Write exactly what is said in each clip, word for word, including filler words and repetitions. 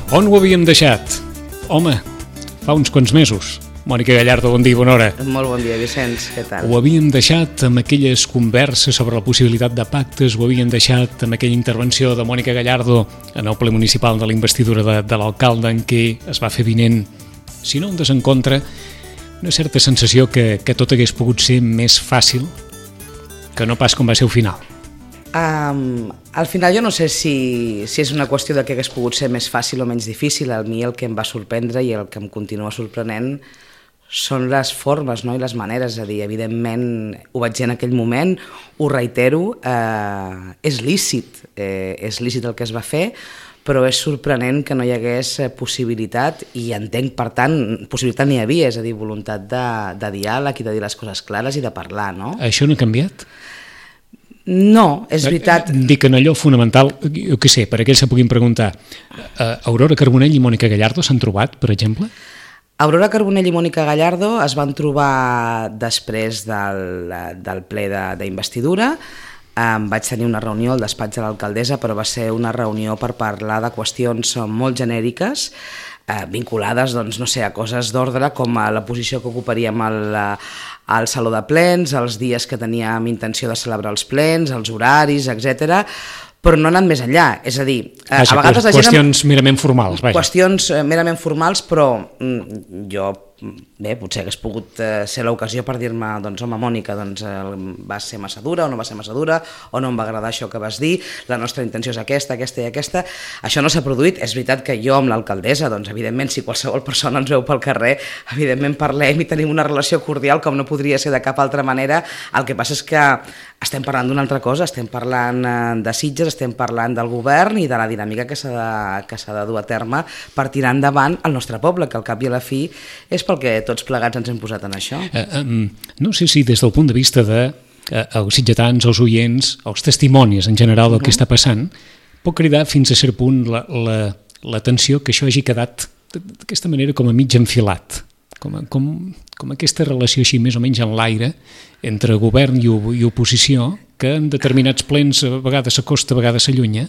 On ho havíem deixat? Home, fa uns quants mesos. Mònica Gallardo, bon dia, bona hora. Molt bon dia, Vicenç, què tal? Ho havíem deixat amb aquelles converses sobre la possibilitat de pactes, ho havíem deixat amb aquella intervenció de Mònica Gallardo en el ple municipal de la investidura de, de l'alcalde, en què es va fer vinent, si no un desencontre, una certa sensació que, que tot hagués pogut ser més fàcil que no pas com va ser el final. Um, al final jo no sé si, si és una qüestió de que hagués pogut ser més fàcil o menys difícil. A mi el que em va sorprendre i el que em continua sorprenent són les formes, no? I les maneres. És a dir, evidentment, ho vaig dir en aquell moment, ho reitero, eh, és lícit, eh, és lícit el que es va fer, però és sorprenent que no hi hagués possibilitat, i entenc, per tant, possibilitat n'hi havia, és a dir, voluntat de, de diàleg i de dir les coses clares i de parlar, no? Això no ha canviat? No, és veritat. Dic en allò fonamental, jo què sé, per aquells que puguin preguntar, Aurora Carbonell i Mònica Gallardo s'han trobat, per exemple? Aurora Carbonell i Mònica Gallardo es van trobar després del, del ple d'investidura. Um, vaig tenir una reunió al despatx de l'alcaldessa, però va ser una reunió per parlar de qüestions molt genèriques, eh, vinculades, doncs, no sé, a coses d'ordre, com a la posició que ocuparíem al, al saló de plens, els dies que teníem intenció de celebrar els plens, els horaris, etcètera, però no han anat més enllà. És a dir, vaja, a vegades la gent... Qüestions merament formals, vaja. Qüestions merament formals, però mm, jo... Bé, potser hagués pogut eh, ser l'ocasió per dir-me, doncs, home, Mònica, doncs, eh, va ser massa dura o no va ser massa dura, o no em va agradar això que vas dir, la nostra intenció és aquesta, aquesta i aquesta. Això no s'ha produït. És veritat que jo amb l'alcaldessa, doncs, evidentment, si qualsevol persona ens veu pel carrer, evidentment parlem i tenim una relació cordial com no podria ser de cap altra manera. El que passa és que estem parlant d'una altra cosa, estem parlant de Sitges, estem parlant del govern i de la dinàmica que s'ha de, que s'ha de dur a terme per tirar endavant el nostre poble, que al cap i a la fi és pel que tots plegats ens hem posat en això. Uh, um, no sé si des del punt de vista de uh, els sitgetans, els oients, els testimonis en general del uh-huh. que està passant, pot cridar fins a cert punt l'atenció la, la, que això hagi quedat d'aquesta manera com a mig enfilat, com, a, com, com aquesta relació així més o menys en l'aire entre govern i, i oposició, que en determinats plens a vegades s'acosta, a vegades s'allunya,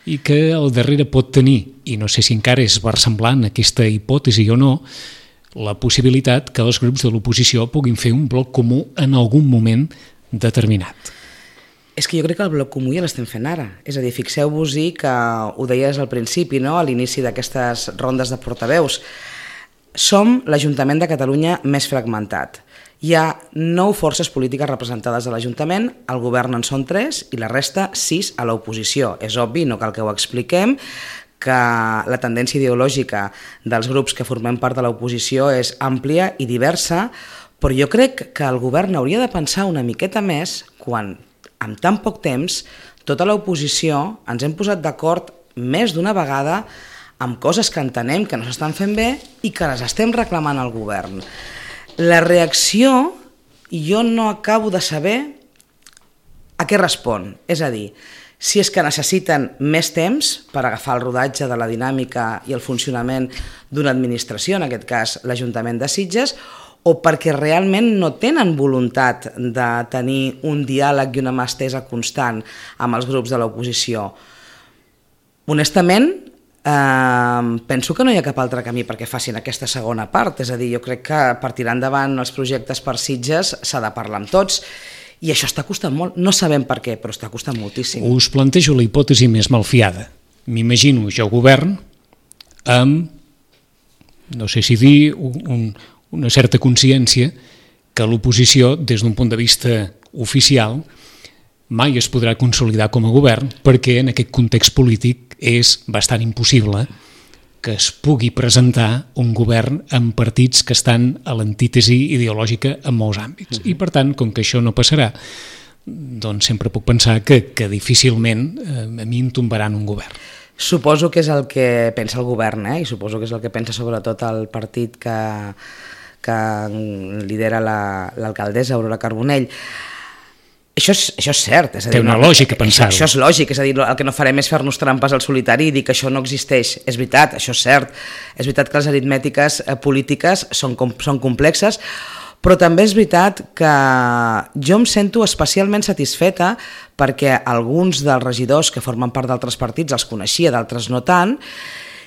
i que al darrere pot tenir, i no sé si encara és versemblant aquesta hipòtesi o no, la possibilitat que els grups de l'oposició puguin fer un bloc comú en algun moment determinat. És que jo crec que el bloc comú ja l'estem fent ara. És a dir, fixeu-vos-hi que ho deies al principi, no? A l'inici d'aquestes rondes de portaveus. Som l'Ajuntament de Catalunya més fragmentat. Hi ha nou forces polítiques representades a l'Ajuntament, el govern en són tres i la resta sis a l'oposició. És obvi, no cal que ho expliquem, que la tendència ideològica dels grups que formem part de l'oposició és àmplia i diversa, però jo crec que el govern hauria de pensar una miqueta més quan, en tan poc temps, tota l'oposició ens hem posat d'acord més d'una vegada amb coses que entenem que no s'estan fent bé i que les estem reclamant al govern. La reacció, jo no acabo de saber a què respon, és a dir, si és que necessiten més temps per agafar el rodatge de la dinàmica i el funcionament d'una administració, en aquest cas l'Ajuntament de Sitges, o perquè realment no tenen voluntat de tenir un diàleg i una mà estesa constant amb els grups de l'oposició. Honestament, eh, penso que no hi ha cap altre camí perquè facin aquesta segona part, és a dir, jo crec que per tirar endavant els projectes per Sitges s'ha de parlar amb tots, i això està costant molt, no sabem per què, però està costant moltíssim. Us plantejo la hipòtesi més malfiada. M'imagino jo govern amb, no sé si dir, un, una certa consciència que l'oposició, des d'un punt de vista oficial, mai es podrà consolidar com a govern, perquè en aquest context polític és bastant impossible que es pugui presentar un govern amb partits que estan a l'antítesi ideològica en molts àmbits. Uh-huh. I per tant, com que això no passarà, doncs sempre puc pensar que, que difícilment eh, a mi em tombaran un govern. Suposo que és el que pensa el govern, eh? I suposo que és el que pensa sobretot el partit que, que lidera l'alcaldessa, la, Aurora Carbonell. Això és, això és cert. És a dir, té una no, lògica pensar-ho. Això, això és lògic, és a dir, el que no farem és fer-nos trampes al solitari i dir que això no existeix. És veritat, això és cert. És veritat que les aritmètiques eh, polítiques són, com, són complexes, però també és veritat que jo em sento especialment satisfeta perquè alguns dels regidors que formen part d'altres partits els coneixia, d'altres no tant,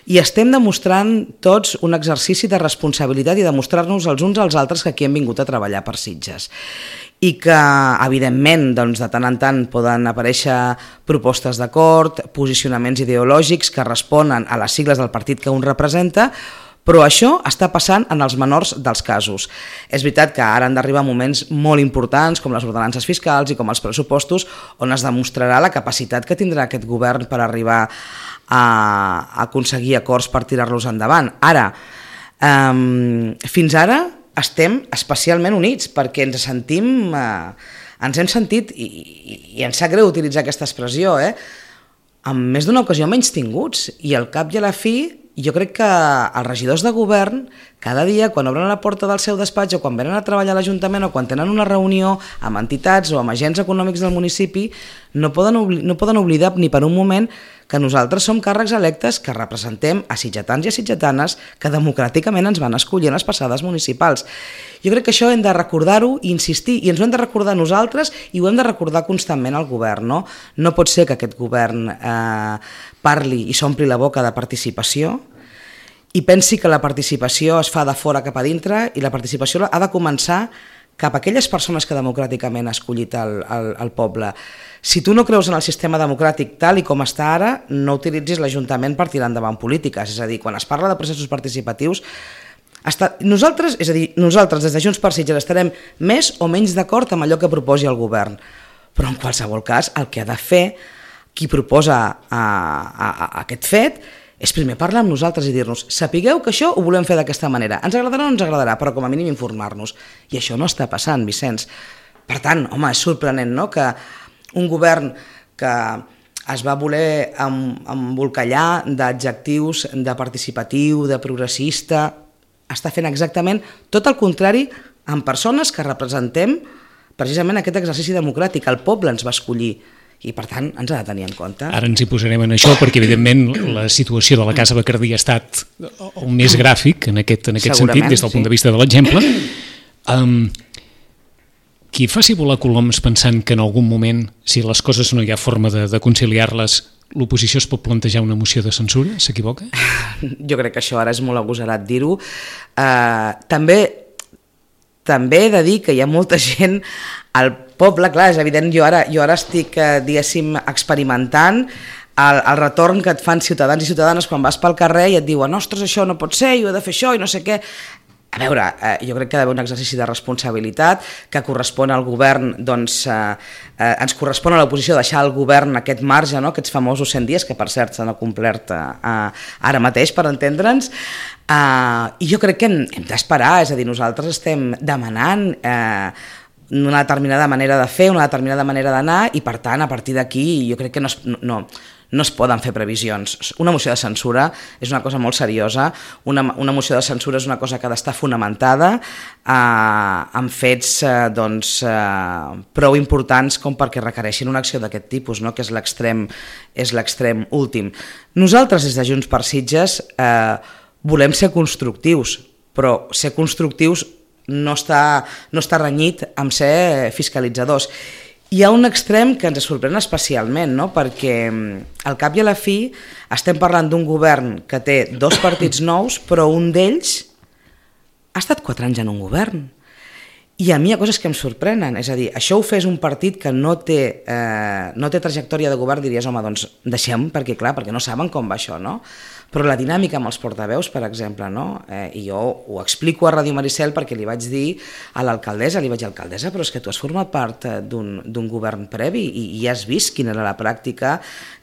i estem demostrant tots un exercici de responsabilitat i demostrar-nos els uns als altres que aquí hem vingut a treballar per Sitges. I que, evidentment, doncs, de tant en tant poden aparèixer propostes d'acord, posicionaments ideològics que responen a les sigles del partit que un representa, però això està passant en els menors dels casos. És veritat que ara han d'arribar moments molt importants, com les ordenances fiscals i com els pressupostos, on es demostrarà la capacitat que tindrà aquest govern per arribar a aconseguir acords per tirar-los endavant. Ara, eh, fins ara estem especialment units perquè ens sentim, eh, ens hem sentit, i, i, i ens sap greu utilitzar aquesta expressió, eh, en més d'una ocasió menys tinguts, i al cap i a la fi jo crec que els regidors de govern cada dia quan obren la porta del seu despatx o quan venen a treballar a l'Ajuntament o quan tenen una reunió amb entitats o amb agents econòmics del municipi no poden, no poden oblidar ni per un moment que nosaltres som càrrecs electes que representem a sitgetans i a sitgetanes que democràticament ens van escollir en les passades municipals. Jo crec que això hem de recordar-ho i insistir, i ens ho hem de recordar nosaltres i ho hem de recordar constantment al govern. No, no pot ser que aquest govern eh, parli i s'ompli la boca de participació i pensi que la participació es fa de fora cap a dintre i la participació ha de començar cap a aquelles persones que democràticament ha escollit el, el, el poble. Si tu no creus en el sistema democràtic tal i com està ara, no utilitzis l'Ajuntament per tirar endavant polítiques. És a dir, quan es parla de processos participatius, està, nosaltres, és a dir, nosaltres des de Junts per Sitges estarem més o menys d'acord amb allò que proposi el govern. Però en qualsevol cas, el que ha de fer qui proposa a, a, a aquest fet és primer parlar amb nosaltres i dir-nos sapigueu que això ho volem fer d'aquesta manera, ens agradarà o no ens agradarà, però com a mínim informar-nos. I això no està passant, Vicenç. Per tant, home, és sorprenent, no?, que un govern que es va voler embolcallar d'adjectius de participatiu, de progressista, està fent exactament tot el contrari amb persones que representem precisament aquest exercici democràtic. El poble ens va escollir i per tant ens ha de tenir en compte. Ara ens hi posarem en això perquè evidentment la situació de la Casa Bacardí ha estat el més gràfic en aquest, en aquest sentit des del punt de vista de l'exemple. Um, qui faci volar coloms pensant que en algun moment, si les coses no hi ha forma de, de conciliar-les, l'oposició es pot plantejar una moció de censura? S'equivoca? Jo crec que això ara és molt agosarat dir-ho. Uh, també també he de dir que hi ha molta gent al poble, clar, és evident, jo ara, jo ara estic, eh, diguéssim, experimentant el, el retorn que et fan ciutadans i ciutadanes quan vas pel carrer i et diuen ostres, això no pot ser, jo he de fer això i no sé què. A veure, eh, jo crec que ha d'haver un exercici de responsabilitat que correspon al govern, doncs eh, eh, ens correspon a l'oposició deixar al govern aquest marge, no?, aquests famosos cent dies, que per cert s'han complert eh, ara mateix, per entendre'ns, eh, i jo crec que hem, hem d'esperar, és a dir, nosaltres estem demanant eh, una determinada manera de fer, una determinada manera d'anar, i per tant, a partir d'aquí, jo crec que no es, no, no es poden fer previsions. Una moció de censura és una cosa molt seriosa, una, una moció de censura és una cosa que ha d'estar fonamentada eh, amb fets eh, doncs, eh, prou importants com perquè requereixin una acció d'aquest tipus, no?, que és l'extrem és l'extrem últim. Nosaltres, des de Junts per Sitges, eh, volem ser constructius, però ser constructius no està, no està renyit amb ser fiscalitzadors. Hi ha un extrem que ens sorprèn especialment, no?, perquè al cap i a la fi estem parlant d'un govern que té dos partits nous, però un d'ells ha estat quatre anys en un govern. I a mi hi ha coses que em sorprenen, és a dir, això ho fes un partit que no té, eh, no té trajectòria de govern, diries, home, doncs deixem, perquè clar, perquè no saben com va això, no? Però la dinàmica amb els portaveus, per exemple, no? Eh, i jo ho explico a Ràdio Maricel perquè li vaig dir a l'alcaldessa, li vaig dir, alcaldessa, però és que tu has format part d'un d'un govern previ i, i has vist quina era la pràctica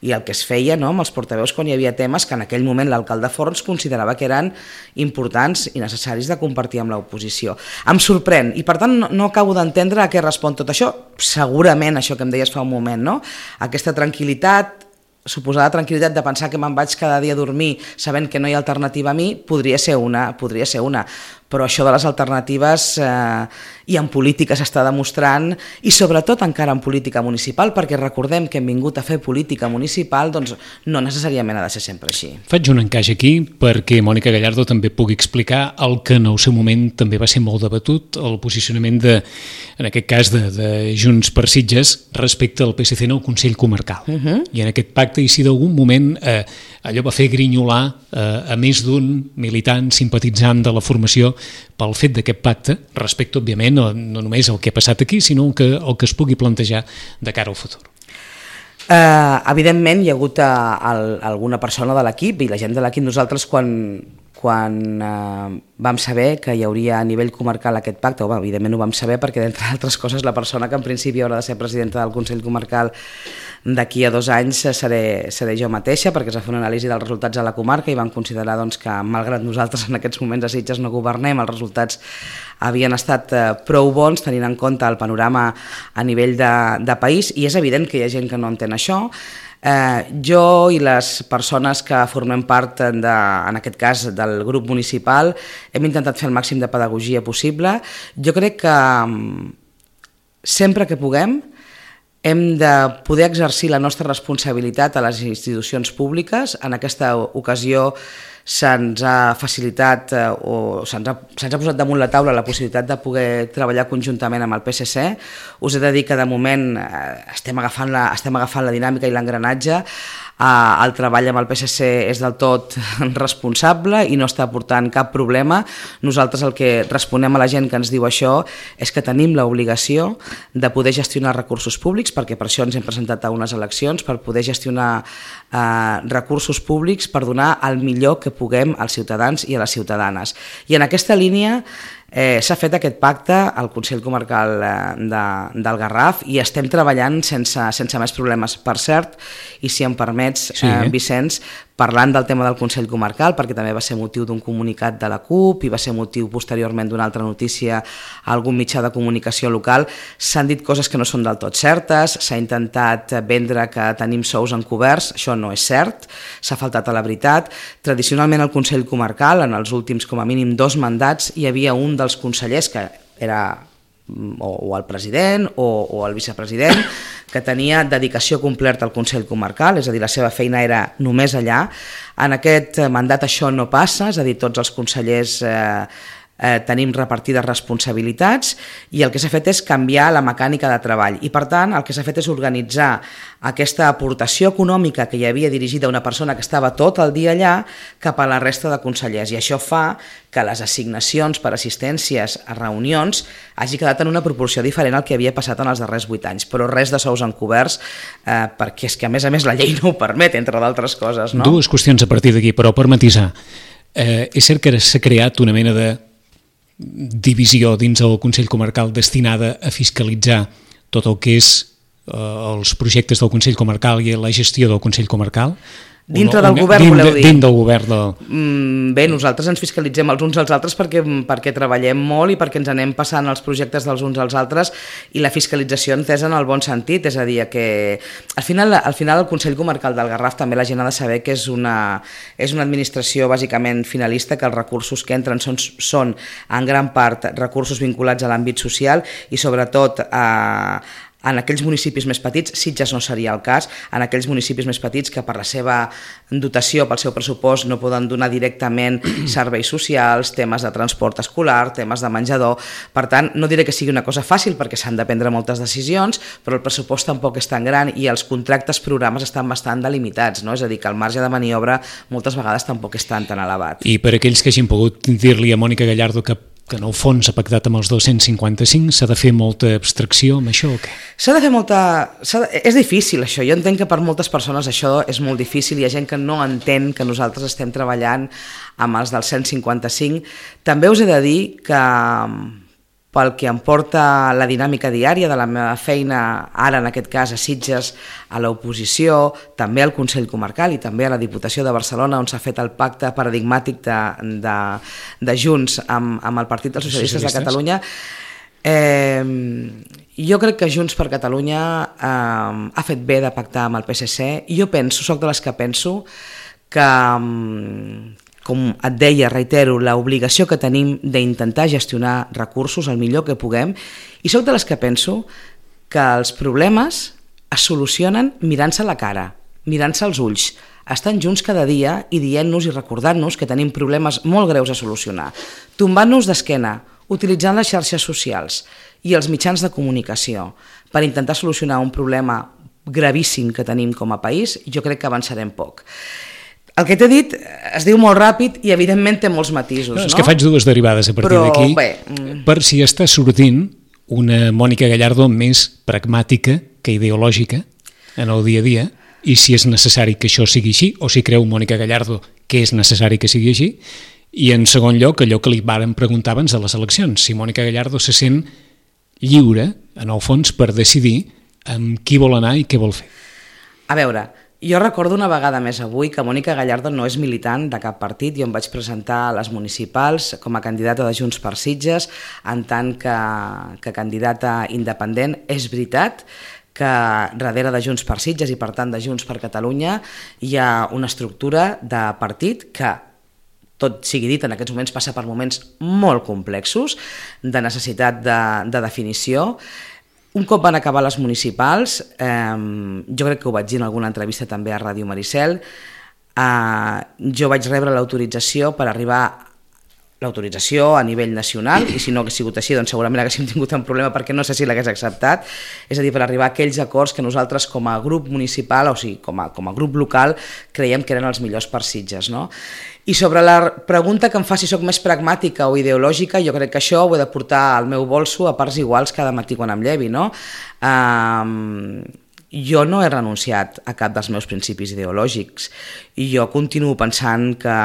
i el que es feia, no?, amb els portaveus quan hi havia temes que en aquell moment l'alcalde Forns considerava que eren importants i necessaris de compartir amb l'oposició. Em sorprèn i per tant no, no acabo d'entendre a què respon tot això. Segurament això que em deies fa un moment, no?, aquesta tranquil·litat, suposada tranquil·litat de pensar que me'n vaig cada dia a dormir sabent que no hi ha alternativa a mi, podria ser una, podria ser una. però això de les alternatives eh, i en política s'està demostrant, i sobretot encara en política municipal, perquè recordem que hem vingut a fer política municipal, doncs no necessàriament ha de ser sempre així. Faig un encaix aquí perquè Mònica Gallardo també pugui explicar el que en el seu moment també va ser molt debatut, el posicionament de, en aquest cas de, de Junts per Sitges respecte al P S C en el Consell Comarcal. Uh-huh. I en aquest pacte, i si d'algun moment eh, allò va fer grinyolar eh, a més d'un militant simpatitzant de la formació pel fet d'aquest pacte, respecte, òbviament, no, no només el que ha passat aquí, sinó el que, el que es pugui plantejar de cara al futur. Uh, evidentment hi ha hagut uh, el, alguna persona de l'equip, i la gent de l'equip, nosaltres quan, quan uh, vam saber que hi hauria a nivell comarcal aquest pacte, o, bueno, evidentment ho vam saber perquè, d'entre altres coses, la persona que en principi haurà de ser presidenta del Consell Comarcal d'aquí a dos anys seré, seré jo mateixa, perquè es va fer una anàlisi dels resultats a la comarca i van considerar doncs, que, malgrat nosaltres en aquests moments a Sitges no governem, els resultats havien estat eh, prou bons tenint en compte el panorama a nivell de, de país, i és evident que hi ha gent que no entén això. Eh, jo i les persones que formem part, de, en aquest cas del grup municipal, hem intentat fer el màxim de pedagogia possible. Jo crec que sempre que puguem hem de poder exercir la nostra responsabilitat a les institucions públiques. En aquesta ocasió se'ns ha facilitat eh, o se'ns ha, se'ns ha posat damunt la taula la possibilitat de poder treballar conjuntament amb el P S C. Us he de dir que de moment eh, estem agafant la, estem agafant la dinàmica i l'engranatge. Eh, el treball amb el P S C és del tot responsable i no està portant cap problema. Nosaltres el que responem a la gent que ens diu això és que tenim l'obligació de poder gestionar recursos públics, perquè per això ens hem presentat a unes eleccions, per poder gestionar eh, recursos públics per donar el millor que puguem als ciutadans i a les ciutadanes. I en aquesta línia eh, s'ha fet aquest pacte al Consell Comarcal eh, de, del Garraf i estem treballant sense, sense més problemes. Per cert, i si em permets, sí, eh, Vicenç, parlant del tema del Consell Comarcal, perquè també va ser motiu d'un comunicat de la CUP i va ser motiu posteriorment d'una altra notícia a algun mitjà de comunicació local, s'han dit coses que no són del tot certes, s'ha intentat vendre que tenim sous encoberts, això no és cert, s'ha faltat a la veritat. Tradicionalment al Consell Comarcal, en els últims com a mínim dos mandats, hi havia un dels consellers que era o, o el president o, o el vicepresident, que tenia dedicació completa al Consell Comarcal, és a dir, la seva feina era només allà. En aquest mandat això no passa, és a dir, tots els consellers eh, eh, tenim repartides responsabilitats i el que s'ha fet és canviar la mecànica de treball i, per tant, el que s'ha fet és organitzar aquesta aportació econòmica que hi havia dirigida a una persona que estava tot el dia allà cap a la resta de consellers, i això fa que les assignacions per assistències a reunions hagi quedat en una proporció diferent al que havia passat en els darrers vuit anys, però res de sous encoberts, eh, perquè és que a més a més la llei no ho permet, entre d'altres coses. No? Dues qüestions a partir d'aquí, però per matisar. Eh, és cert que s'ha creat una mena de divisió dins el Consell Comarcal destinada a fiscalitzar tot el que és eh, els projectes del Consell Comarcal i la gestió del Consell Comarcal? Dintre del govern, voleu dir? Dins del govern. Del... Mm, bé, nosaltres ens fiscalitzem els uns als altres perquè, perquè treballem molt i perquè ens anem passant els projectes dels uns als altres, i la fiscalització entesa en el bon sentit, és a dir, que al final, al final el Consell Comarcal del Garraf també la gent ha de saber que és una, és una administració bàsicament finalista, que els recursos que entren són, són en gran part recursos vinculats a l'àmbit social i sobretot a en aquells municipis més petits, Sitges no seria el cas, en aquells municipis més petits que per la seva dotació, pel seu pressupost, no poden donar directament serveis socials, temes de transport escolar, temes de menjador. Per tant, no diré que sigui una cosa fàcil perquè s'han de prendre moltes decisions, però el pressupost tampoc és tan gran i els contractes programes estan bastant delimitats, no? És a dir, que el marge de maniobra moltes vegades tampoc és tan tan elevat. I per aquells que hagin pogut dir-li a Mònica Gallardo que que en el fons ha pactat amb els dos-cents cinquanta-cinc, s'ha de fer molta abstracció amb això o què? S'ha de fer molta... De... És difícil això, jo entenc que per moltes persones això és molt difícil, hi ha gent que no entén que nosaltres estem treballant amb els del cent cinquanta-cinc. També us he de dir que pel que em porta la dinàmica diària de la meva feina, ara en aquest cas a Sitges, a l'oposició, també al Consell Comarcal i també a la Diputació de Barcelona, on s'ha fet el pacte paradigmàtic de, de, de Junts amb, amb el Partit dels Socialistes de Catalunya. Eh, jo crec que Junts per Catalunya eh, ha fet bé de pactar amb el P S C. Jo penso, soc de les que penso que... com et deia, reitero, l'obligació que tenim d'intentar gestionar recursos el millor que puguem, i soc de les que penso que els problemes es solucionen mirant-se la cara, mirant-se als ulls, estant junts cada dia i dient-nos i recordant-nos que tenim problemes molt greus a solucionar, tombant-nos d'esquena, utilitzant les xarxes socials i els mitjans de comunicació per intentar solucionar un problema gravíssim que tenim com a país, jo crec que avançarem poc. El que t'he dit es diu molt ràpid i evidentment té molts matisos, no? És que faig dues derivades a partir d'aquí, per si està sortint una Mònica Gallardo més pragmàtica que ideològica en el dia a dia, i si és necessari que això sigui així, o si creu Mònica Gallardo que és necessari que sigui així, i en segon lloc allò que li vàrem preguntar abans de les eleccions, si Mònica Gallardo se sent lliure, en el fons, per decidir amb qui vol anar i què vol fer. A veure, jo recordo una vegada més avui que Mònica Gallardo no és militant de cap partit. Jo em vaig presentar a les municipals com a candidata de Junts per Sitges, en tant que, que candidata independent. És veritat que darrere de Junts per Sitges i per tant de Junts per Catalunya hi ha una estructura de partit que, tot sigui dit, en aquests moments passa per moments molt complexos de necessitat de, de definició. Un cop van acabar les municipals, eh, jo crec que ho vaig dir en alguna entrevista també a Ràdio Maricel, eh, jo vaig rebre l'autorització per arribar l'autorització a nivell nacional, i si no hagués sigut així, doncs segurament haguéssim tingut un problema perquè no sé si l'hagués acceptat, és a dir, per arribar a aquells acords que nosaltres com a grup municipal, o sigui, com a, com a grup local, creiem que eren els millors per Sitges, no? I sobre la pregunta que em fa si sóc més pragmàtica o ideològica, jo crec que això ho he de portar al meu bolso a parts iguals cada matí quan em llevi, no? Um, jo no he renunciat a cap dels meus principis ideològics i jo continuo pensant que,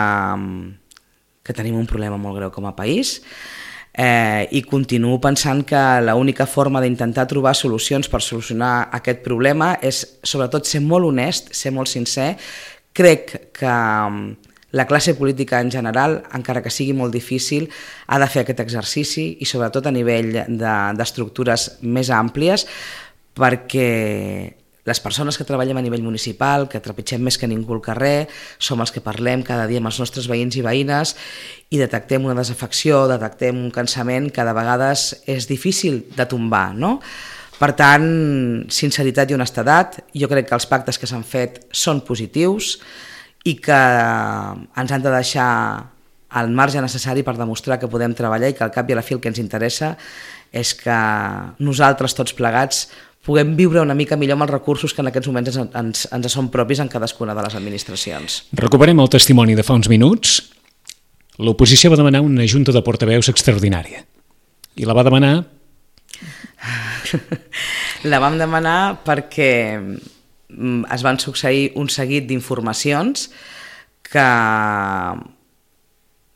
que tenim un problema molt greu com a país, eh, i continuo pensant que l'única forma d'intentar trobar solucions per solucionar aquest problema és sobretot ser molt honest, ser molt sincer. Crec que la classe política en general, encara que sigui molt difícil, ha de fer aquest exercici i sobretot a nivell d'estructures de, més àmplies, perquè les persones que treballem a nivell municipal, que trepitgem més que ningú al carrer, som els que parlem cada dia amb els nostres veïns i veïnes i detectem una desafecció, detectem un cansament que de vegades és difícil de tombar, no? Per tant, sinceritat i honestedat, jo crec que els pactes que s'han fet són positius i que ens han de deixar el marge necessari per demostrar que podem treballar i que al cap i a la fi el que ens interessa és que nosaltres tots plegats puguem viure una mica millor amb els recursos que en aquests moments ens, ens, ens són propis en cadascuna de les administracions. Recuperem el testimoni de fa uns minuts. L'oposició va demanar una junta de portaveus extraordinària i la va demanar... La vam demanar perquè es van succeir un seguit d'informacions que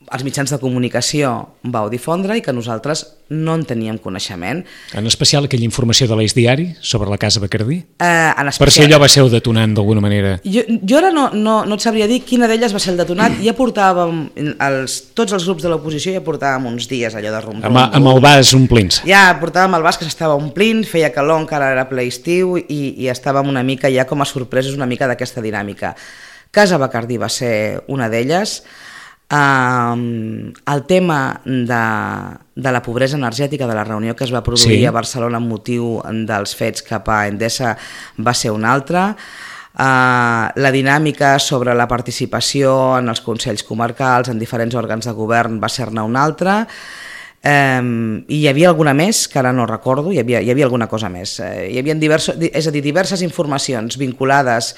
els mitjans de comunicació vau difondre i que nosaltres no en teníem coneixement. En especial aquella informació de l'Eix Diari sobre la Casa Bacardí? Eh, en especial... Per si allò va ser el detonant d'alguna manera. Jo, jo ara no, no, no et sabria dir quina d'elles va ser el detonat. Ja portàvem, els, tots els grups de l'oposició ja portàvem uns dies allò de rum. Amb, amb el vas omplint. Ja portàvem el vas que s'estava omplint, feia calor, encara era ple estiu i, i estàvem una mica ja com a sorpresos una mica d'aquesta dinàmica. Casa Bacardí va ser una d'elles. Uh, el tema de, de la pobresa energètica de la reunió que es va produir sí. a Barcelona amb motiu dels fets cap a Endesa va ser una altra. Uh, la dinàmica sobre la participació en els consells comarcals, en diferents òrgans de govern, va ser-ne una altra. Um, i hi havia alguna més que ara no recordo, hi havia, hi havia alguna cosa més, uh, hi havia diversos, és a dir, diverses informacions vinculades,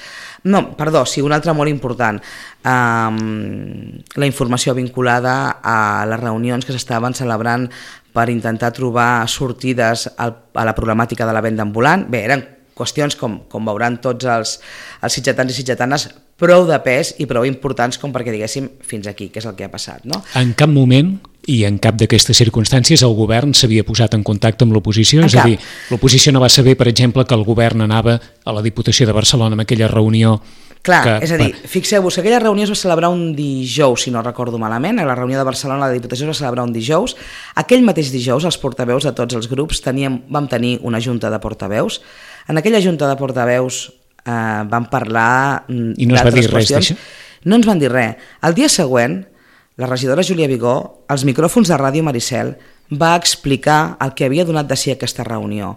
no, perdó, sí, una altra molt important, um, la informació vinculada a les reunions que s'estaven celebrant per intentar trobar sortides al, a la problemàtica de la venda ambulant. Bé, eren qüestions, com, com veuran tots els, els sitgetans i sitgetanes, prou de pes i prou importants com perquè diguéssim fins aquí, què és el que ha passat, no? En cap moment i en cap d'aquestes circumstàncies el govern s'havia posat en contacte amb l'oposició? És a dir, l'oposició no va saber, per exemple, que el govern anava a la Diputació de Barcelona en aquella reunió? Clar, que, és a dir, fixeu-vos que aquella reunió es va celebrar un dijous, si no recordo malament, a la reunió de Barcelona la Diputació es va celebrar un dijous. Aquell mateix dijous els portaveus de tots els grups teníem, vam tenir una junta de portaveus. En aquella junta de portaveus eh, vam parlar I no es va dir res d'això? No ens van dir res. El dia següent la regidora Júlia Vigó, als micròfons de Ràdio Maricel, va explicar el que havia donat de si aquesta reunió.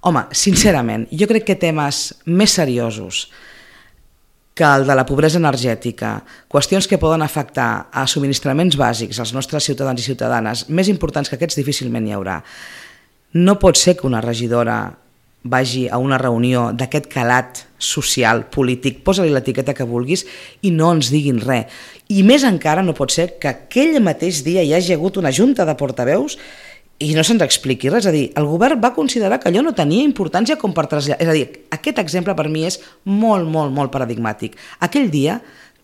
Home, sincerament, jo crec que temes més seriosos que el de la pobresa energètica, qüestions que poden afectar a subministraments bàsics als nostres ciutadans i ciutadanes, més importants que aquests difícilment hi haurà. No pot ser que una regidora vagi a una reunió d'aquest calat social, polític, posa-li l'etiqueta que vulguis i no ens diguin res. I més encara no pot ser que aquell mateix dia hi hagi hagut una junta de portaveus i no se'ns expliqui res. És a dir, el govern va considerar que allò no tenia importància com per traslladar. És a dir, aquest exemple per mi és molt, molt, molt paradigmàtic. Aquell dia,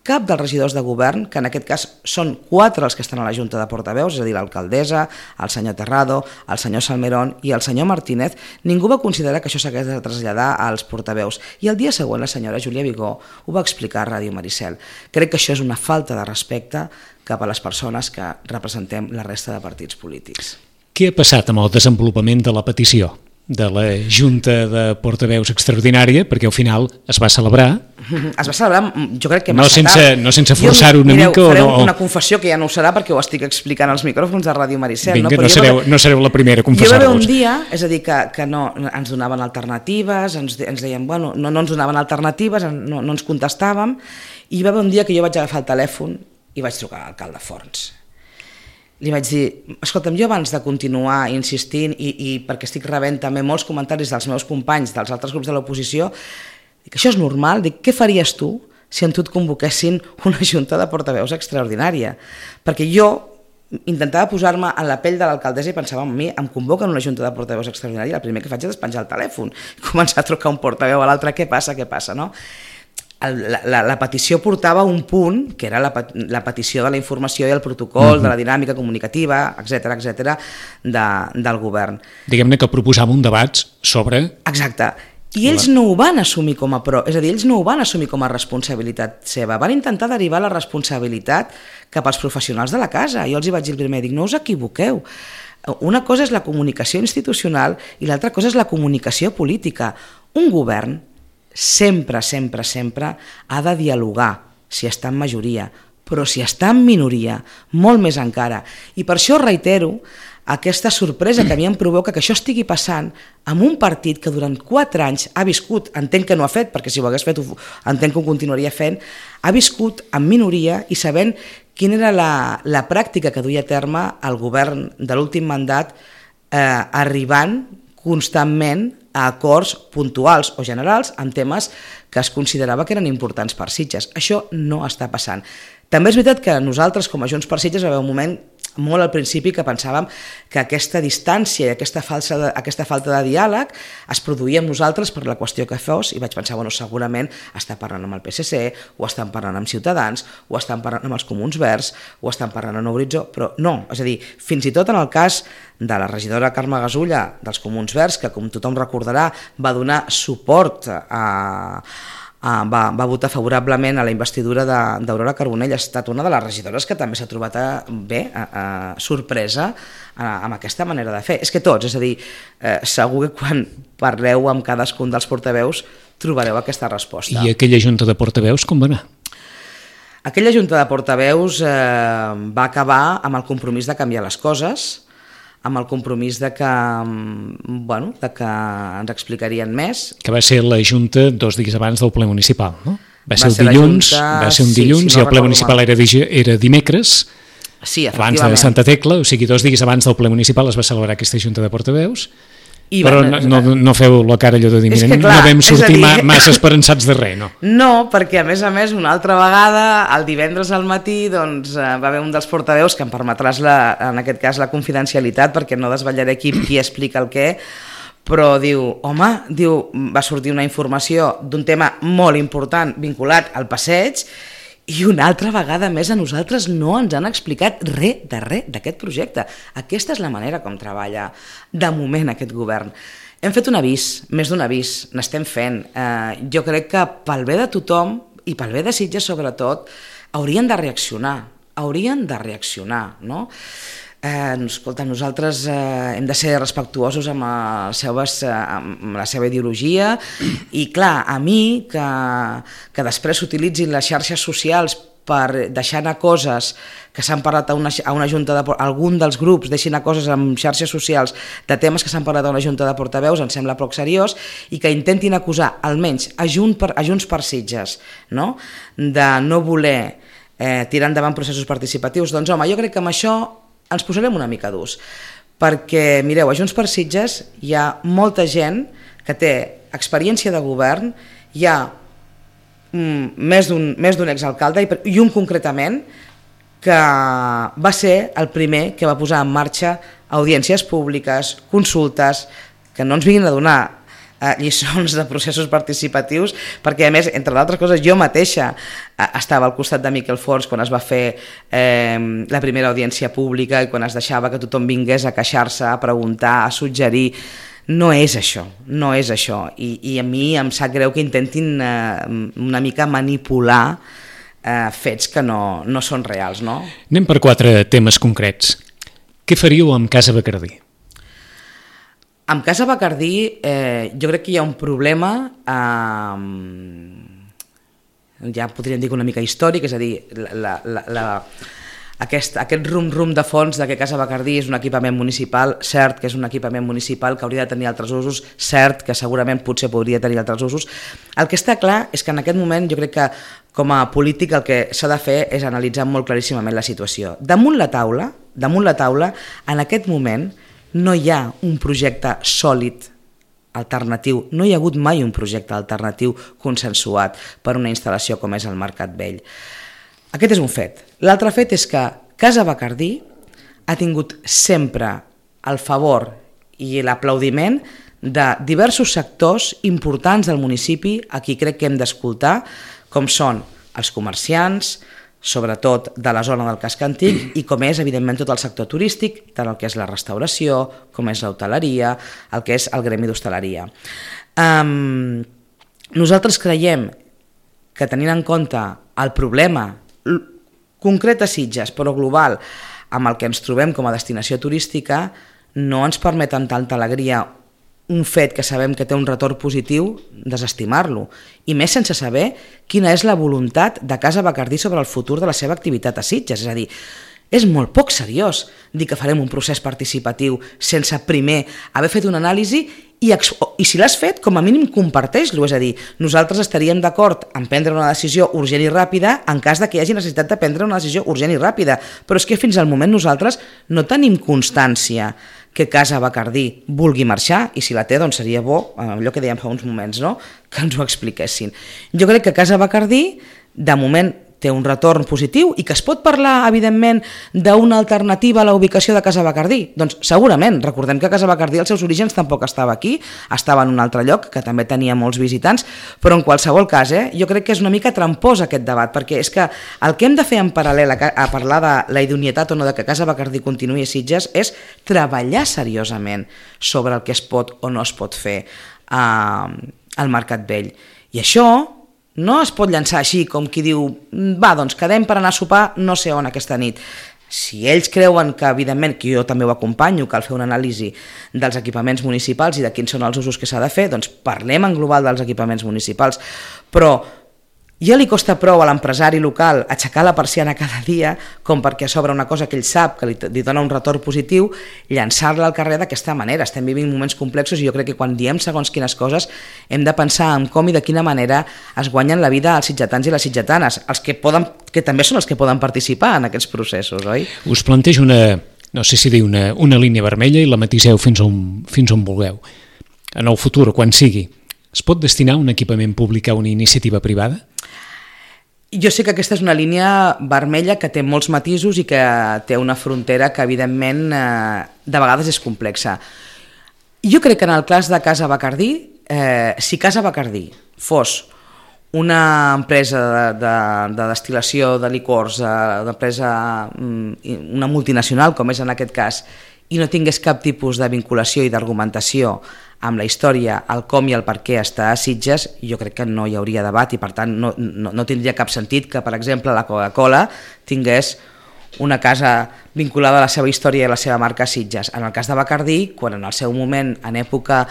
cap dels regidors de govern, que en aquest cas són quatre els que estan a la Junta de Portaveus, és a dir, l'alcaldessa, el senyor Terrado, el senyor Salmerón i el senyor Martínez, ningú va considerar que això s'hagués de traslladar als portaveus. I el dia següent la senyora Júlia Vigó ho va explicar a Ràdio Maricel. Crec que això és una falta de respecte cap a les persones que representem la resta de partits polítics. Què ha passat amb el desenvolupament de la petició de la Junta de Portaveus extraordinària, perquè al final es va celebrar? Es va celebrar, jo crec que massa no sense, tard. No sense forçar-ho una mireu, mica? Fareu o no? una confessió que ja no ho serà perquè ho estic explicant als micròfons de Ràdio Maricel. Vinga, no, no, sereu, va... no sereu la primera a confessar-vos. confessar-vos. Hi va haver un dia, és a dir, que, que no, ens donaven alternatives, ens, ens deien, bueno, no, no ens donaven alternatives, no, no ens contestàvem, i hi va haver un dia que jo vaig agafar el telèfon i vaig trucar a l'alcalde Forns. Li vaig dir, escolta'm, jo abans de continuar insistint i, i perquè estic rebent també molts comentaris dels meus companys dels altres grups de l'oposició, dic, això és normal, dic, què faries tu si en tu et convoquessin una junta de portaveus extraordinària? Perquè jo intentava posar-me en la pell de l'alcaldessa i pensava, a mi em convoquen una junta de portaveus extraordinària, el primer que faig és despenjar el telèfon i començar a trucar un portaveu a l'altre, què passa, què passa, no? La, la, la petició portava un punt, que era la, la petició de la informació i el protocol, uh-huh. de la dinàmica comunicativa, etcètera, etcètera, de, del govern. Diguem-ne que proposava un debat sobre... Exacte. I ells no ho van assumir com a pro, és a dir, ells no ho van assumir com a responsabilitat seva, van intentar derivar la responsabilitat cap als professionals de la casa. Jo els hi vaig dir el primer, dic, no us equivoqueu. Una cosa és la comunicació institucional i l'altra cosa és la comunicació política. Un govern sempre, sempre, sempre ha de dialogar si està en majoria, però si està en minoria, molt més encara. I per això reitero aquesta sorpresa que a mi em provoca que això estigui passant amb un partit que durant quatre anys ha viscut, entenc que no ha fet, perquè si ho hagués fet entenc que ho continuaria fent, ha viscut en minoria i sabent quina era la, la pràctica que duia a terme el govern de l'últim mandat, eh, arribant constantment a acords puntuals o generals en temes que es considerava que eren importants per Sitges. Això no està passant. També és veritat que nosaltres, com a Junts per Sitges, va haver un moment molt al principi que pensàvem que aquesta distància i aquesta, falsa de, aquesta falta de diàleg es produïa amb nosaltres per la qüestió que fos, i vaig pensar, bueno, segurament està parlant amb el P S C, o estan parlant amb Ciutadans, o estan parlant amb els Comuns Verds, o estan parlant amb Horitzó, però no, és a dir, fins i tot en el cas de la regidora Carme Gasulla dels Comuns Verds, que com tothom recordarà va donar suport a... Uh, va, va votar favorablement a la investidura d'Aurora Carbonell, ha estat una de les regidores que també s'ha trobat a, bé, a, a, sorpresa a, amb aquesta manera de fer. És que tots, és a dir, eh, segur que quan parleu amb cadascun dels portaveus trobareu aquesta resposta. I aquella junta de portaveus com va anar? Aquella junta de portaveus eh, va acabar amb el compromís de canviar les coses, amb el compromís de que, bueno, de que ens explicarien més. Que va ser la Junta dos dies abans del ple municipal, no? Va, va ser, ser el dilluns, Junta, va ser un dilluns sí, si no i el ple municipal era, era dimecres, sí, abans de Santa Tecla, o sigui, dos dies abans del ple municipal es va celebrar aquesta Junta de portaveus. I però van, no, no, no feu la cara allò de dir, mira, clar, no vam sortir dir... massa esperançats de res, no? No, perquè a més a més una altra vegada, el divendres al matí, doncs, va haver un dels portaveus que em permetràs la, en aquest cas la confidencialitat, perquè no desvetllaré qui, qui explica el què, però diu, home, diu, va sortir una informació d'un tema molt important vinculat al passeig, i una altra vegada més a nosaltres no ens han explicat res de res d'aquest projecte. Aquesta és la manera com treballa de moment aquest govern. Hem fet un avís, més d'un avís, n'estem fent. Eh, jo crec que pel bé de tothom, i pel bé de Sitges sobretot, haurien de reaccionar, haurien de reaccionar, no? Eh, escolta, nosaltres eh, hem de ser respectuosos amb, les seves, eh, amb la seva ideologia i clar, a mi que, que després s'utilitzin les xarxes socials per deixar anar coses que s'han parlat a una, a una junta de... algun dels grups deixin anar coses en xarxes socials de temes que s'han parlat a una junta de portaveus, em sembla poc seriós, i que intentin acusar almenys a, Junt per, a Junts per Sitges, no? De no voler eh, tirar endavant processos participatius. Doncs home, jo crec que amb això ens posarem una mica durs, perquè mireu, a Junts per Sitges hi ha molta gent que té experiència de govern, hi ha mm, més d'un més d'un exalcalde i, i un concretament que va ser el primer que va posar en marxa audiències públiques, consultes, que no ens vinguin a donar eh, lliçons de processos participatius, perquè a més, entre d'altres coses, jo mateixa eh, estava al costat de Miquel Forns quan es va fer eh, la primera audiència pública i quan es deixava que tothom vingués a queixar-se, a preguntar, a suggerir. No és això, no és això, i, i a mi em sap greu que intentin eh, una mica manipular eh, fets que no, no són reals, no? Anem per quatre temes concrets. Què faríeu amb Casa Bacardí? Amb Casa Bacardí eh, jo crec que hi ha un problema, eh, ja podríem dir una mica històric, és a dir, la... la, la Aquest, aquest rum-rum de fons de que Casa Bacardí és un equipament municipal, cert que és un equipament municipal que hauria de tenir altres usos, cert que segurament potser podria tenir altres usos. El que està clar és que en aquest moment jo crec que com a polític el que s'ha de fer és analitzar molt claríssimament la situació. Damunt la taula, damunt la taula, en aquest moment no hi ha un projecte sòlid alternatiu, no hi ha hagut mai un projecte alternatiu consensuat per una instal·lació com és el Mercat Vell. Aquest és un fet. L'altre fet és que Casa Bacardí ha tingut sempre el favor i l'aplaudiment de diversos sectors importants del municipi a qui crec que hem d'escoltar, com són els comerciants, sobretot de la zona del casc antic, i com és, evidentment, tot el sector turístic, tant el que és la restauració, com és l'hoteleria, el que és el gremi d'hostaleria. Um, nosaltres creiem que, tenint en compte el problema concret a Sitges, però global, amb el que ens trobem com a destinació turística, no ens permet amb tanta alegria un fet que sabem que té un retorn positiu, desestimar-lo. I més sense saber quina és la voluntat de Casa Bacardí sobre el futur de la seva activitat a Sitges. És a dir, és molt poc seriós dir que farem un procés participatiu sense primer haver fet una anàlisi i, i si l'has fet, com a mínim comparteix-lo. És a dir, nosaltres estaríem d'acord en prendre una decisió urgent i ràpida en cas de que hi hagi necessitat de prendre una decisió urgent i ràpida. Però és que fins al moment nosaltres no tenim constància que Casa Bacardí vulgui marxar, i si la té, doncs seria bo, allò que dèiem fa uns moments, no?, que ens ho expliquessin. Jo crec que Casa Bacardí, de moment, té un retorn positiu i que es pot parlar, evidentment, d'una alternativa a la ubicació de Casa Bacardí. Doncs segurament, recordem que Casa Bacardí als seus orígens tampoc estava aquí, estava en un altre lloc, que també tenia molts visitants, però en qualsevol cas, eh, jo crec que és una mica trampós aquest debat, perquè és que el que hem de fer en paral·lel a, a parlar de la idoneïtat o no de que Casa Bacardí continuï a Sitges és treballar seriosament sobre el que es pot o no es pot fer eh, al Mercat Vell. I això no es pot llançar així com qui diu va, doncs quedem per anar a sopar no sé on aquesta nit. Si ells creuen que, evidentment, que jo també ho acompanyo, cal fer una anàlisi dels equipaments municipals i de quins són els usos que s'ha de fer, doncs parlem en global dels equipaments municipals. Però ja li costa prou a l'empresari local aixecar la persiana cada dia com perquè a sobre una cosa que ell sap que li, li dona un retorn positiu, llançar-la al carrer d'aquesta manera. Estem vivint moments complexos i jo crec que quan diem segons quines coses hem de pensar en com i de quina manera es guanyen la vida als sitgetans i les sitgetanes, els que, poden, que també són els que poden participar en aquests processos, oi? Us plantejo una, no sé si dir una, una línia vermella i la matiseu fins on, fins on vulgueu. En el futur, quan sigui, es pot destinar un equipament públic a una iniciativa privada? Jo sé que aquesta és una línia vermella que té molts matisos i que té una frontera que, evidentment, eh, de vegades és complexa. Jo crec que en el cas de Casa Bacardí, eh, si Casa Bacardí fos una empresa de, de, de destil·lació de licors, una empresa, una multinacional, com és en aquest cas, i no tingués cap tipus de vinculació i d'argumentació amb la història, el com i el per què està a Sitges, jo crec que no hi hauria debat i per tant no, no, no tindria cap sentit que, per exemple, la Coca-Cola tingués una casa vinculada a la seva història i a la seva marca a Sitges. En el cas de Bacardí, quan en el seu moment, en època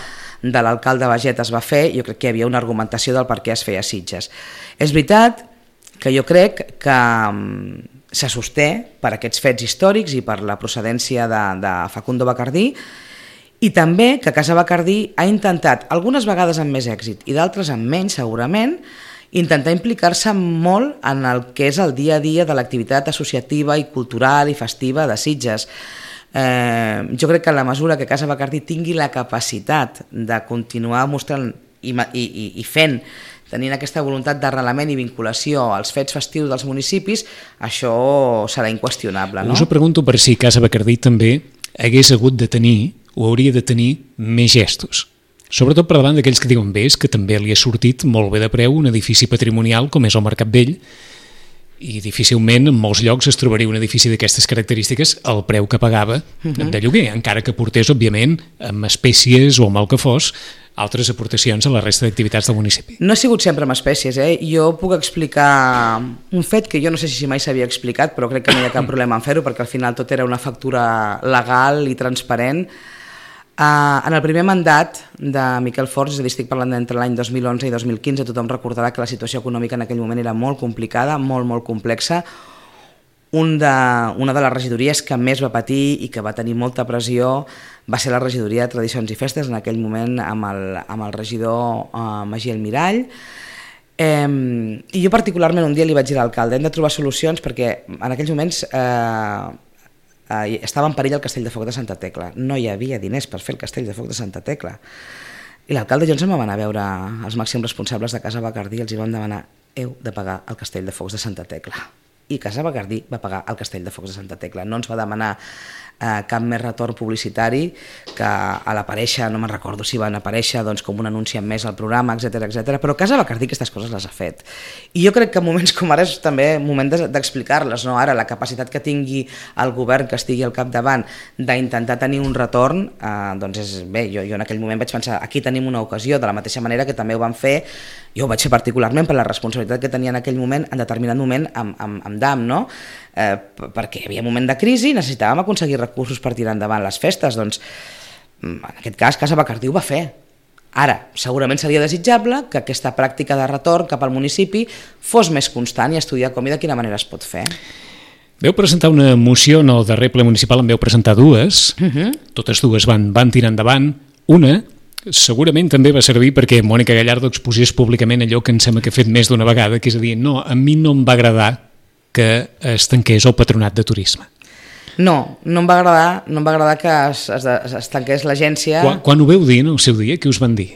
de l'alcalde Baget es va fer, jo crec que hi havia una argumentació del per què es feia a Sitges. És veritat que jo crec que se sosté per aquests fets històrics i per la procedència de, de Facundo Bacardí, i també que Casa Bacardí ha intentat, algunes vegades amb més èxit i d'altres amb menys segurament, intentar implicar-se molt en el que és el dia a dia de l'activitat associativa i cultural i festiva de Sitges. Eh, jo crec que en la mesura que Casa Bacardí tingui la capacitat de continuar mostrant i, i, i fent, tenint aquesta voluntat d'arrelament i vinculació als fets festius dels municipis, això serà inqüestionable. No? Us ho pregunto per si Casa Bacardí també hagués hagut de tenir o hauria de tenir més gestos. Sobretot per davant d'aquells que diuen bé, és que també li ha sortit molt bé de preu un edifici patrimonial com és el Mercat Vell, i difícilment en molts llocs es trobaria un edifici d'aquestes característiques al preu que pagava uh-huh. de lloguer, encara que portés, òbviament, amb espècies o amb el que fos, altres aportacions a la resta d'activitats del municipi. No ha sigut sempre amb espècies, eh? Jo puc explicar un fet que jo no sé si mai s'havia explicat, però crec que no hi ha cap problema en fer-ho, perquè al final tot era una factura legal i transparent. Uh, en el primer mandat de Miquel Forns, és a dir, estic parlant d'entre l'any dos mil onze i dos mil quinze, tothom recordarà que la situació econòmica en aquell moment era molt complicada, molt, molt complexa. Un de, una de les regidories que més va patir i que va tenir molta pressió va ser la regidoria de Tradicions i Festes, en aquell moment amb el, amb el regidor uh, Magí El Mirall. Eh, I jo particularment un dia li vaig dir a l'alcalde, hem de trobar solucions perquè en aquells moments eh, eh, estava en perill el Castell de Foc de Santa Tecla. No hi havia diners per fer el Castell de Foc de Santa Tecla. I l'alcalde i jo ens vam anar a veure els màxims responsables de Casa Bacardí i els hi vam demanar: heu de pagar el Castell de Focs de Santa Tecla. I Casa Bacardí va pagar el Castell de Focs de Santa Tecla. No ens va demanar eh, cap més retorn publicitari, que a l'aparèixer, no me'n recordo si van aparèixer doncs, com un anunci en més al programa, etcètera etcètera. Però Casa Bacardí aquestes coses les ha fet. I jo crec que en moments com ara és també moment d'explicar-les, no? Ara la capacitat que tingui el govern que estigui al capdavant d'intentar tenir un retorn, eh, doncs és bé. Jo, jo en aquell moment vaig pensar, aquí tenim una ocasió, de la mateixa manera que també ho van fer, jo ho vaig fer particularment per la responsabilitat que tenia en aquell moment, en determinat moment amb, amb, amb D A M, no? Eh, perquè hi havia un moment de crisi i necessitàvem aconseguir recursos per tirar endavant les festes. Doncs, en aquest cas, Casa Bacardí ho va fer. Ara, segurament seria desitjable que aquesta pràctica de retorn cap al municipi fos més constant i estudiar com i de quina manera es pot fer. Veu presentar una moció en el darrer ple municipal, en veu presentar dues, uh-huh. Totes dues van, van tirar endavant. Una segurament també va servir perquè Mònica Gallardo exposés públicament allò que em sembla que ha fet més d'una vegada, que és a dir, no, a mi no em va agradar que es tanqués el patronat de turisme. No, no em va agradar, no em va agradar que es, es, es tanqués l'agència. Quan, quan ho veu dir en el seu dia, què us van dir?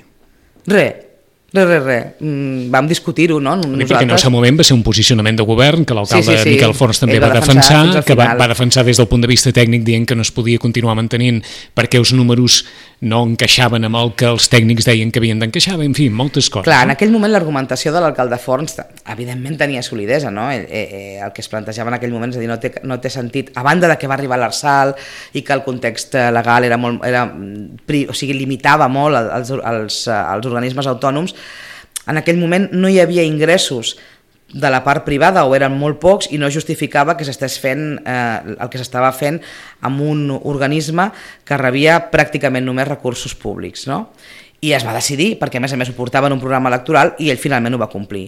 Res. Res, res, res. Mm, vam discutir-ho, no? Nosaltres... Perquè en el seu moment va ser un posicionament de govern que l'alcalde sí, sí, sí. Miquel Forns també va, va defensar, defensar que va, va defensar des del punt de vista tècnic dient que no es podia continuar mantenint perquè els números no encaixaven amb el que els tècnics deien que havien d'encaixar, en fi, moltes coses. Clar, no? En aquell moment l'argumentació de l'alcalde Forns evidentment tenia solidesa, no? Eh, eh, el que es plantejava en aquell moment, és a dir, no té, no té sentit, a banda de que va arribar l'Arsal i que el context legal era molt, era, o sigui, limitava molt els, els, els organismes autònoms. En aquell moment no hi havia ingressos de la part privada o eren molt pocs i no justificava que s'estés fent eh, el que s'estava fent amb un organisme que rebia pràcticament només recursos públics, no? I es va decidir, perquè a més a més ho portava en un programa electoral i ell finalment ho va complir.